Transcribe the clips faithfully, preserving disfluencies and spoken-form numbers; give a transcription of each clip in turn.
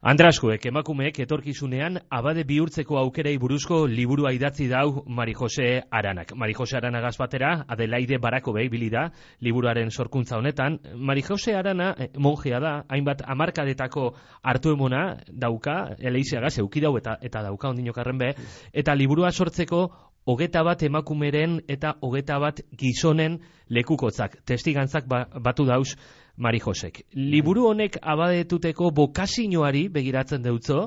Andraskuek emakumeek etorkizunean abade bihurtzeko aukerei buruzko liburua idatzi dau Mari Jose Aranak. Mari Jose Aranagaz batera, Adelaide Barakobei ibili da liburuaren sorkuntza honetan. Mari Jose Arana eh, monjea da, hainbat hamarkadetako hartu emona dauka, eleizeagaz, eukidau eta, eta dauka ondinokarren be, eta liburua sortzeko hogeta bat emakumeren eta hogeta bat gizonen lekukotzak, testigantzak ba, batu dauz Mari Josek. Liburu honek abadetuteko bokazioari begiratzen deutzo,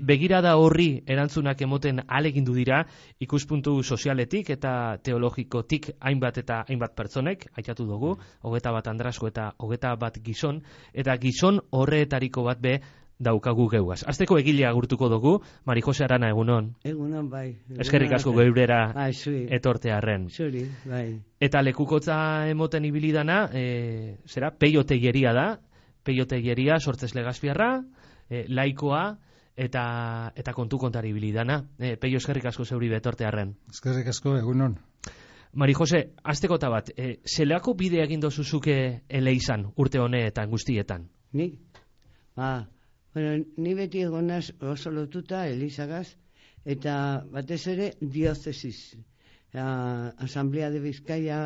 begirada horri erantzunak emoten alegindu dira ikuspuntu sozialetik eta teologikotik hainbat eta hainbat pertsonek, aitatu dugu, hogeta bat Andrasko eta hogeta bat gizon, eta gizon horreetariko bat be daukagu geuaz. Azteko egilea agurtuko dugu, Mari Jose Arana, egunon. Egunon, bai. Eskerrik asko geurera bai, etortearren. Zuri, bai. Eta lekukotza emoten ibilidana, e, zera, Peio Teilleria da, Peio Teilleria sortzez Legazpiarra, e, laikoa, eta eta kontu kontari ibilidana. E, Peio, eskerrik asko zeuri betortearren. Eskerrik asko, egunon. Mari Jose, azteko bat, e, zelako bide egin dozuzuke eleizan urte honeetan guztietan? Ni? Ba, bueno, ni beti egonaz oso lotuta Elizagaz, eta batez ere diócesis. Uh, Asamblea de Bizkaia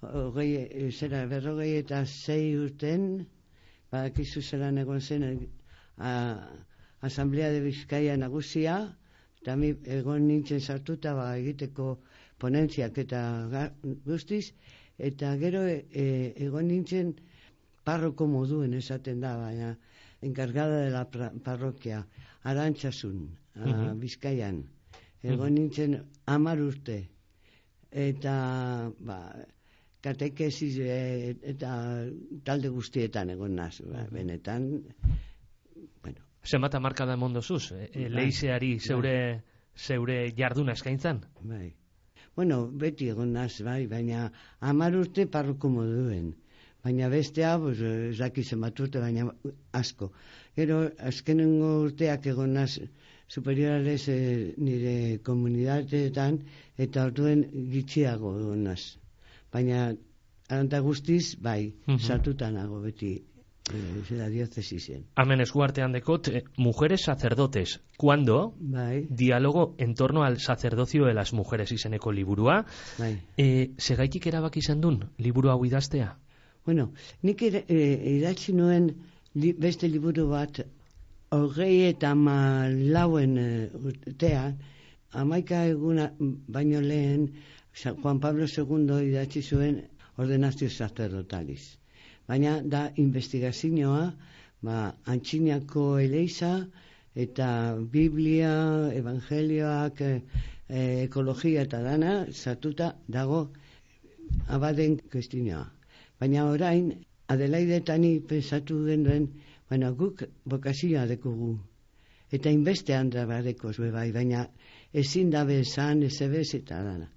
hogei, zera, berrogei eta zei urten, badakizu zelan egon zen uh, Asamblea de Bizkaia nagusia, eta mi egon nintzen sartuta ba, egiteko ponentziak eta guztiz, eta gero e, egon nintzen parroko moduen esaten da, baina encargada de la parroquia, Arantzasun, uh-huh. Bizkaian. Egon uh-huh. nintzen hamar urte. Eta ba, katekesis e, eta talde guztietan egon naz, ba, benetan, bueno. Zenbat hamarkada emon dozuz, e, leizeari zeure, zeure jarduna eskaintzan? Bai. Bueno, beti egon naz, bai, baina hamar urte parroko moduen. Baina bestea, pues, ez daki zenbat urte, baina asko. Gero, azkenengo urteak egon naz, superiorales eh, nire komunidateetan, eta orduen gitxiago egon naz. Baina, aranta guztiz, bai, uh-huh. sartutanago beti, eh, zera diocesisen. Hemen eskuartean dekot, eh, mujeres sacerdotes, cuando bai. Diálogo en torno al sacerdocio de las mujeres izeneko liburua. Bai. Eh, segaitik erabaki izan dun, liburu hau idaztea? Bueno, nik eh, idatzi nuen li, beste liburu bat, hogei eta malauen urtean, hamaika eguna baino lehen, Juan Pablo segundo idatzi zuen ordenazio sacerdotaliz. Baina da investigazioa, ba, antxinako eleiza, eta Biblia, Evangelioak, eh, ekologia eta dana, sartuta dago abaden kuestinoa. Baina orain, Adelaide eta ni pensatu genuen, baina guk bokazioa dekugu. Eta inbestean da badekoz bebai, baina ezin dabe esan, ez ebez eta dana.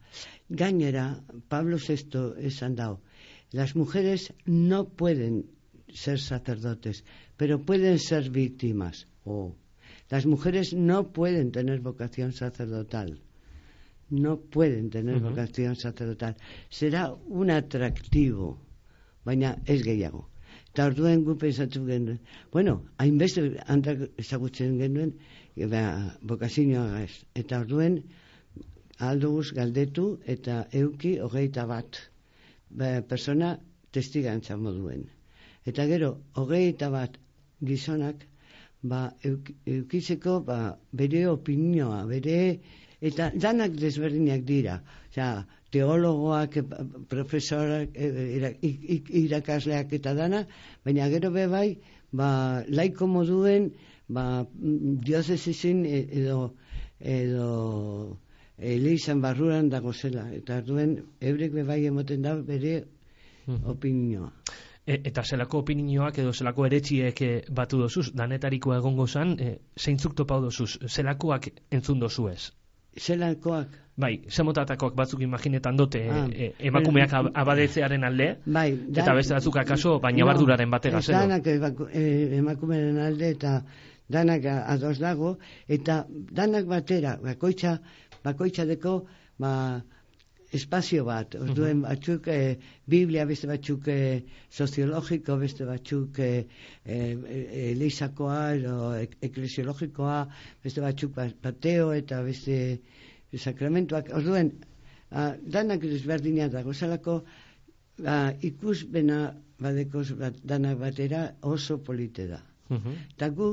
Gainera, Pablo sexto esan dao, las mujeres no pueden ser sacerdotes, pero pueden ser víctimas. Oh. Las mujeres no pueden tener vocación sacerdotal. No pueden tener uh-huh. vocación sacerdotal. Será un atractivo. Baina ez gehiago. Eta orduen gu pensatu genuen. Bueno, hainbeste handak ezagutzen genuen, ba, bokazioa ez. Eta orduen alduguz galdetu eta euki hogeita bat ba, persona testigantza moduen. Eta gero, hogeita bat gizonak ba, euk, eukitzeko ba, bere opinioa, bere, eta danak desberdinak dira. Osea, teologoak, profesorak, irakasleak eta dana, baina gero bebai, ba, laiko moduen, ba, diocesisen edo, edo eleizan barruran dago zela, eta duen, eurek bebai emoten da bere opinioa. E, eta zelako opinioak edo zelako eretxiek batu dozuz, danetarikoa egongo zan, e, zeintzuk topau dozuz, zelakoak entzun dozu ez? Zelakoak? Bai, zemotatakoak batzuk imaginetan dote ah, e, emakumeak bueno, abadetzearen alde, bai, da, eta beste batzuk akaso, baina no, barduraren batera zelo. Danak emakumearen alde eta danak ados dago, eta danak batera, bakoitza, bakoitza deko, ba, espazio bat, orduen batzuk e, Biblia, beste batzuk e, soziologiko, beste batzuk e, e, elizakoa edo eklesiologikoa, beste batzuk pateo eta beste sakramentuak, orduen a, danak desberdinak dago zelako ba, ikusbena badekoz bat, danak batera oso polite da. Eta gu,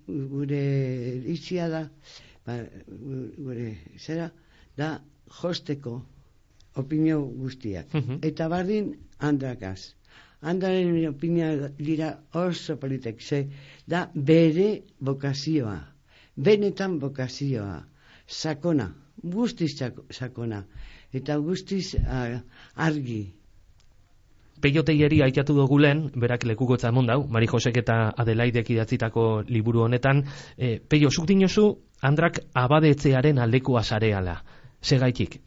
gure itzia da, ba, gure zera, da josteko opinio guztiak. Uh-huh. Eta bardin handrakaz. Handraren opinioa dira oso politek, ze da bere bokazioa, benetan bokazioa, sakona, guztiz sakona, eta guztiz uh, argi. Peio Teieri aitatu dugu lehen, berak lekukotza emon dau, Mari Josek eta Adelaidek idatzitako liburu honetan. E, Peio, zuk dinozu, handrak abadetzearen aldekoa zareala. Segaitik?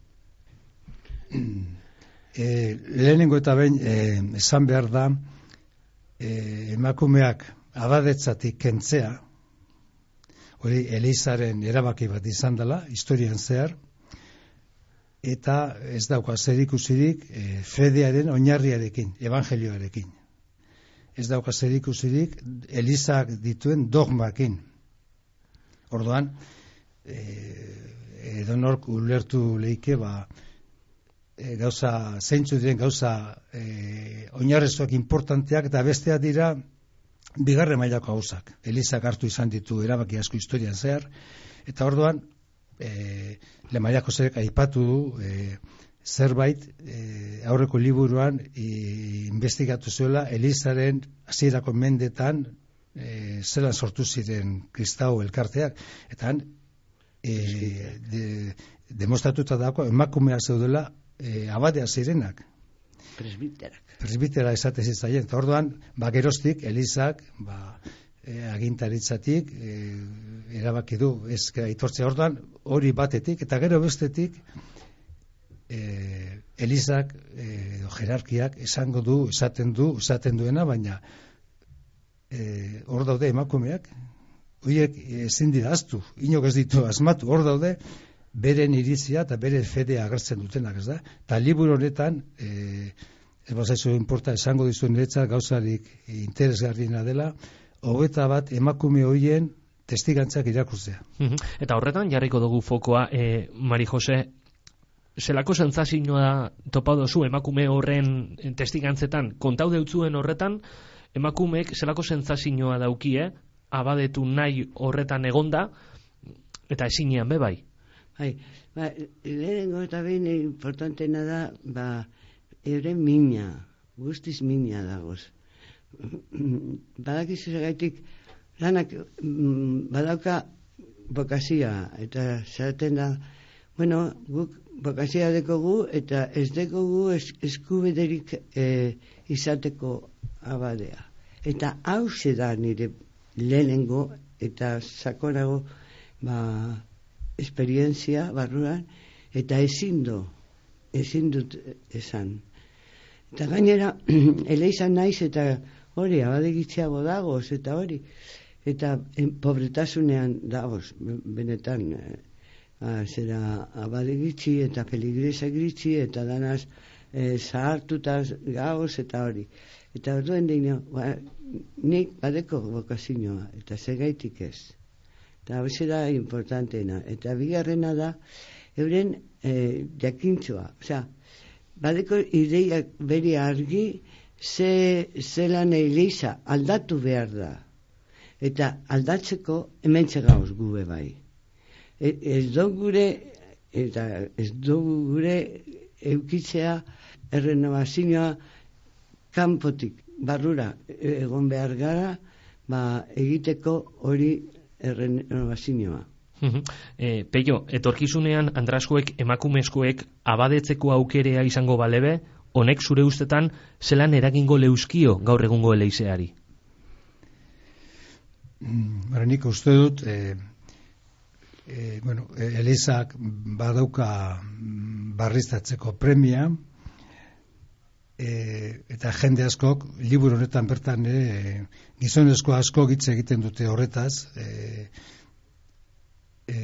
E, lehenengo eta behin e, esan behar da e, emakumeak abadetzatik kentzea, hori Elizaren erabaki bat izan dela, historian zehar, eta ez dauka zerikusirik e, fedearen oinarriarekin, evangelioarekin. Ez dauka zerikusirik Elizak dituen dogmakin. Orduan, e, edonork ulertu leike, ba, e, gauza, zeintzu diren gauza e, oinarrezoak importanteak, eta besteak dira bigarren mailako gauzak. Elizak hartu izan ditu erabaki asko historian zehar, eta orduan, E, Le Mailako zerek aipatu du e, zerbait e, aurreko liburuan e, investigatu zuela Elizaren hasierako mendetan e, zelan sortu ziren kristau elkarteak, eta han e, de, demostratuta dago emakumeak zeudela e, abadea zirenak, presbiterak presbitera esate zitzaien, eta orduan ba, geroztik Elizak ba, e, agintaritzatik e, erabaki du ez aitortzea. Orduan hori batetik, eta gero bestetik e, Elizak e, jerarkiak esango du, esaten du, esaten duena, baina e, hor daude emakumeak, horiek ezin dira aztu, inok ez ditu asmatu, hor daude beren iritzia eta bere fedea agertzen dutenak, ez da? Eta liburu honetan e, ez bazaizu inporta esango dizuen niretzat gauzarik interesgarriena dela, hogeita bat emakume horien testigantzak irakurtzea. Eta horretan jarriko dugu fokoa, e, Mari Jose, zelako sentsazioa topa dozu emakume horren testigantzetan, kontau deutzuen horretan, emakumeek zelako sentsazioa daukie, abadetu nahi horretan egonda, eta ezinean bebai. Bai, ba, lehenengo eta behin importantena da, ba, euren mina, guztiz mina dagoz. Badakizu segaitik, lanak badauka bokazioa, eta zeraten da, bueno, guk bokazioa dekogu, eta ez dekogu es, eskubederik e, izateko abadea. Eta hau da nire lehenengo eta sakonago ba, esperientzia barruan, eta ezin du, ezin dut esan. Eta gainera, eleizan naiz eta hori, abadegitzeago dagoz, eta hori, eta pobretasunean dagoz, benetan, eh, zera abadegitzi eta peligresa gritzi, eta danaz eh, zahartuta gagoz, eta hori. Eta orduen dino, ba, nik badeko bokazioa, eta segaitik ez. Eta hau da importanteena. Eta bigarrena da, euren eh, jakintzua. Osea, badeko ideiak beri argi, ze zelan Eliza aldatu behar da. Eta aldatzeko hementxe gauz gube bai. E, ez do gure, eta ez do gure eukitzea errenovazioa kanpotik barrura egon behar gara, ba, egiteko hori errenovazioa. E, Peio, etorkizunean andraskoek emakumezkoek abadetzeko aukerea izango balebe, honek zure ustetan zelan eragingo leuskio gaur egungo eleizeari? Bara nik uste dut e, e, bueno, Elizak badauka barriztatzeko premia, e, eta jende askok liburu honetan bertan e, gizonezko asko hitz egiten dute horretaz, e, e,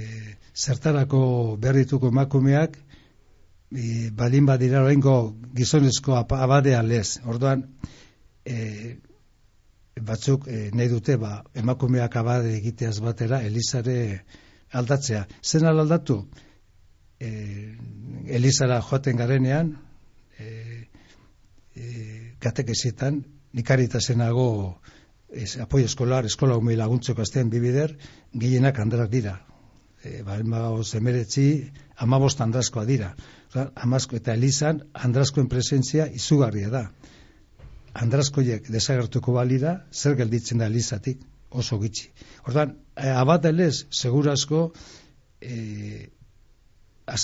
zertarako behar dituko emakumeak e, balin badira oraingo gizonezko abadea lez. Orduan, e, batzuk e, nahi dute, ba, emakumeak abade egiteaz batera, Elizare aldatzea. Zen aldatu? E, Elizara joaten garenean, e, e, katekesietan, nikaritasenago es, apoio eskolar, eskola umei laguntzeko aztean bibider, gehienak andrak dira. E, ba, emeretzi, amabost andraskoa dira. Oza, amazko eta Elizan, andraskoen presentzia izugarria da. Andraskoiek desagertuko balira, zer gelditzen da Elizatik, oso gitxi. Ordan, abadelez, segurazko, e,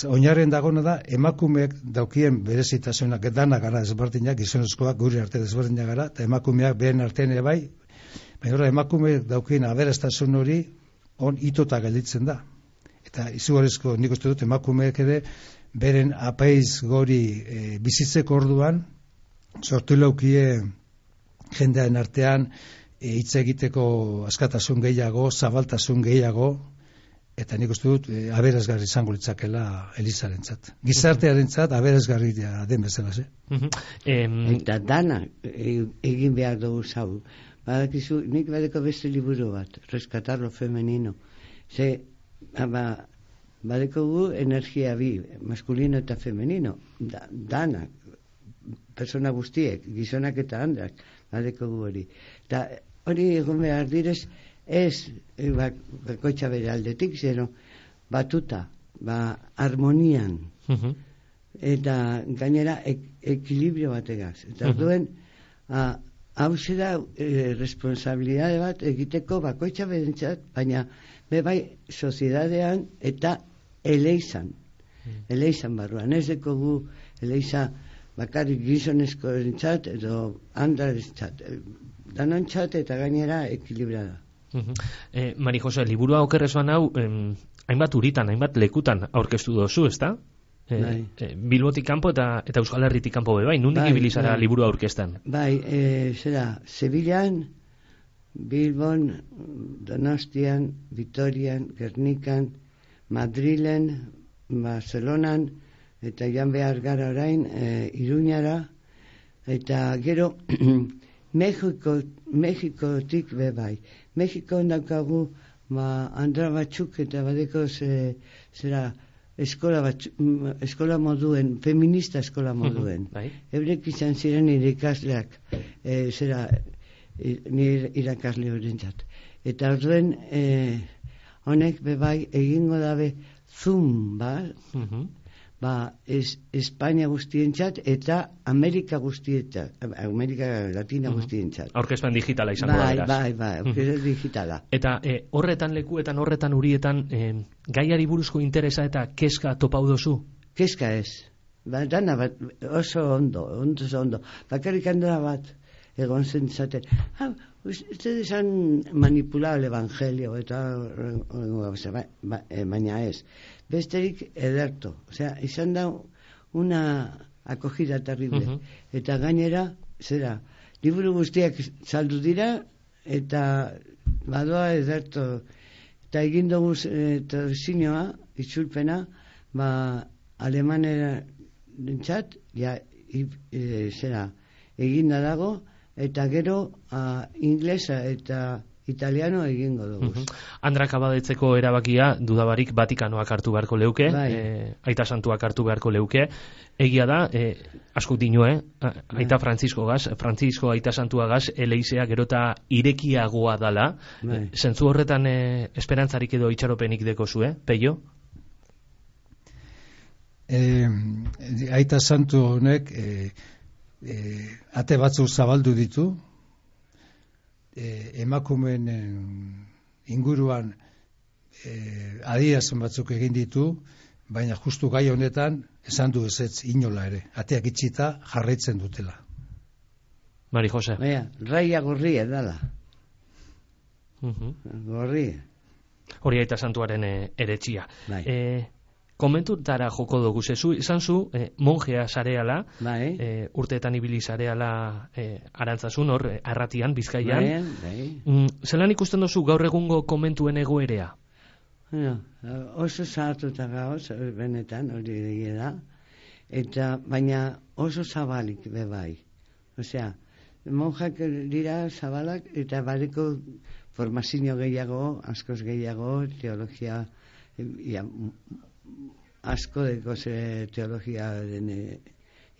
oinarren dagona da, emakumeak daukien berezitasunak edanak gara ezberdinak, gizonezkoak gure arte ezberdinak gara, eta emakumeak behen artean ere bai, baina emakumeak daukien aberastasun hori, on itota gelditzen da. Eta izugarrizko nik uste dut emakumeak ere, beren apaiz gori e, bizitzeko orduan, sortu laukie jendearen artean hitz e, egiteko askatasun gehiago, zabaltasun gehiago, eta nik uste dut e, aberasgarri izango litzakela Elizarentzat. Gizartearentzat aberasgarri den bezala, ze? Eta dana egin behar dugu zau. Badakizu, nik badeko beste liburu bat, Rescatar lo femenino. Ze, ba, badeko gu energia bi, maskulino eta femenino, da, dana, persona guztiek, gizonak eta andrak, badeko gu hori. Eta hori egon behar direz, ez, ba, bakoitza bere aldetik, zero, batuta, ba, harmonian, uh-huh. Eta gainera ek, ekilibrio bategaz. Eta uh-huh. Duen, hau zera e, responsabilidade bat egiteko bakoitza berentzat, baina bebai soziedadean eta eleizan. Mm. Eleizan barruan. Ez deko gu eleiza bakarrik gizonezko erentzat edo andarentzat. Danontzat eta gainera ekilibrada. Uh-huh. eh, Mari Jose, liburua okerrezuan hau, em, hainbat uritan, hainbat lekutan aurkeztu dozu, ezta? Eh, eh, Bilbotik kanpo eta, eta Euskal Herritik kanpo be, bai, nundik bai, ibilizara bai. Liburu aurkeztan? Bai, e, zera, Sevillan, Bilbon, Donostian, Vitorian, Gernikan, Madrilen, Barcelonan, eta jan behar gara orain, e, Iruñara, eta gero, Mexiko, Mexikotik be bai. Mexiko daukagu, ba, andra batzuk eta badeko ze, zera, eskola, bat, eskola moduen, feminista eskola moduen. Uh-huh, Eurek izan ziren nire ikasleak, e, zera, nire irakasle horrentzat. Eta orduen, e, honek bebai egingo dabe zoom, ba, uh-huh. ba es, Espainia guztientzat eta Amerika guztientzat, Amerika Latina uh-huh. guztientzat. Aurkezpen digitala izango da, beraz. Bai, bai, bai, aurkezpen uh-huh. digitala. Eta e, horretan lekuetan, horretan urietan, e, gaiari buruzko interesa eta keska topau dozu? Keska ez. Ba, dana bat, oso ondo, ondo ondo. Bakarrik handela bat, egon zen zaten. Ah, ustedes han manipulado el evangelio, eta, ba, ba, baina ez. Besterik ederto. Osea, izan da una acogida terrible. Uh-huh. Eta gainera, zera, liburu guztiak saldu dira, eta badoa ederto. Eta egin dugu e, traduzinioa, itzulpena, ba, alemanera dintzat, ja, i, e, zera, eginda dago, eta gero a, inglesa eta italiano egingo dugu. Uh-huh. Andrak abadetzeko erabakia dudabarik Vatikanoak hartu beharko leuke, bai. e, Aita Santuak hartu beharko leuke. Egia da, e, askok dino, eh? Aita Frantzisko gaz, Frantzisko Aita Santua gaz, eleizea gerota irekiagoa dala. Bai. E, zentzu horretan e, esperantzarik edo itxaropenik deko zu, eh? Peio? E, Aita Santu honek e, e, ate batzuk zabaldu ditu, E, emakumeen inguruan e, adierazpen batzuk egin ditu, baina justu gai honetan esan du ezetz inola ere, ateak itxita jarraitzen dutela. Mari Jose. Baina, raia gorria dala. Uh-huh. Gorria. Hori Aita Santuaren e, eretxia. Bai. E, Komentutara joko dugu zezu, izan zu, eh, monjea zareala, bai. eh, urteetan ibili zareala eh, arantzazun, hor, eh, arratian, Bizkaian. Bai, bai. Mm, zelan ikusten duzu gaur egungo komentuen egoerea? Bueno, oso zahartuta gauz, benetan, hori egia da. eta baina oso zabalik be bai. Osea, monjak dira zabalak eta badeko formazio gehiago, askoz gehiago, teologia, ia, asko deko ze teologia den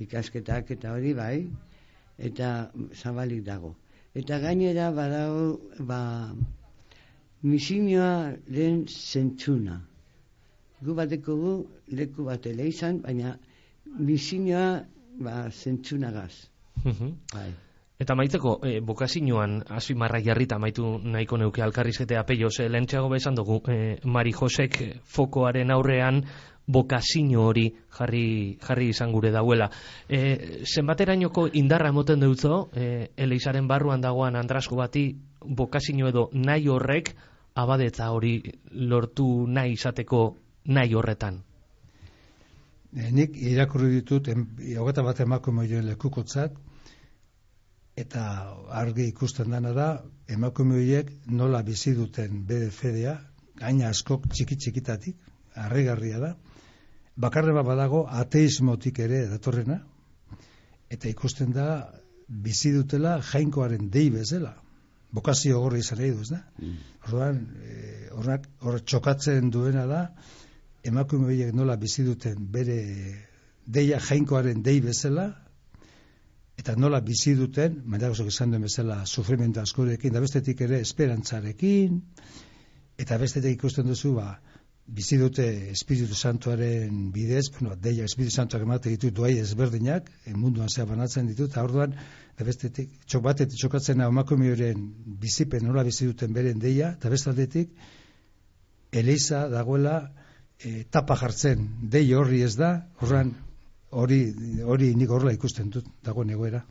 ikasketak eta hori bai, eta zabalik dago. Eta gainera badago, ba, misioa den zentzuna. Gu bateko gu, leku bat ele izan, baina misioa ba, zentzunagaz. Bai. Eta maitzeko, e, bokazioan azimarra jarrita maitu nahiko neuke alkarrizketea peio, ze lehentxeago bezan dugu, e, Mari Josek fokoaren aurrean bokazio hori jarri, jarri izan gure dauela. E, zenbaterainoko indarra emoten deutzo, e, eleizaren barruan dagoan andrasko bati bokazio edo nahi horrek abadetza hori lortu nahi izateko nahi horretan? E, nik irakurri ditut, hogeta bat emakume joen lekukotzat, eta argi ikusten dana da, emakume horiek nola bizi duten bere fedea, gaina askok txiki txikitatik, harrigarria da, bakarren bat badago ateismotik ere datorrena, eta ikusten da bizi dutela jainkoaren dei bezala, bokazio gorri izan nahi duz, da? Orduan, horrak hor txokatzen duena da, emakume horiek nola bizi duten bere deia jainkoaren dei bezala, eta nola bizi duten, mailagozok izan duen bezala, sufrimento askorekin, da bestetik ere esperantzarekin, eta bestetik ikusten duzu, ba, bizi dute Espiritu Santuaren bidez, bueno, deia Espiritu Santuak emate ditu duai ezberdinak, munduan zea banatzen ditu, eta orduan, da bestetik, txok batetik txokatzen emakume horien bizipen nola bizi duten beren deia, eta bestaldetik, Eliza dagoela e, tapa jartzen, dei horri ez da, horran, Hori, hori nik horrela ikusten dut, dago egoera.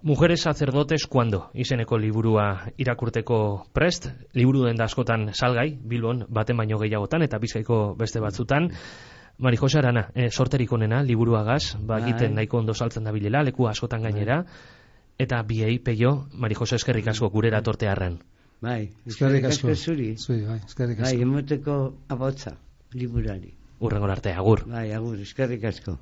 Mujeres sacerdotes cuando izeneko liburua irakurteko prest, liburu den da askotan salgai, Bilbon baten baino gehiagotan eta Bizkaiko beste batzutan. Mari Jose Arana, e, sorterik onena liburuagaz, ba egiten nahiko ondo saltzen dabilela, leku askotan gainera, eta biei peio, Mari Jose eskerrik asko gurera tortearren. Bai, eskerrik asko zuri. Zui, bai, eskerrik asko. Bai, emoteko abotza liburari. Urrengor arte, agur. Bai, agur, eskerrik asko.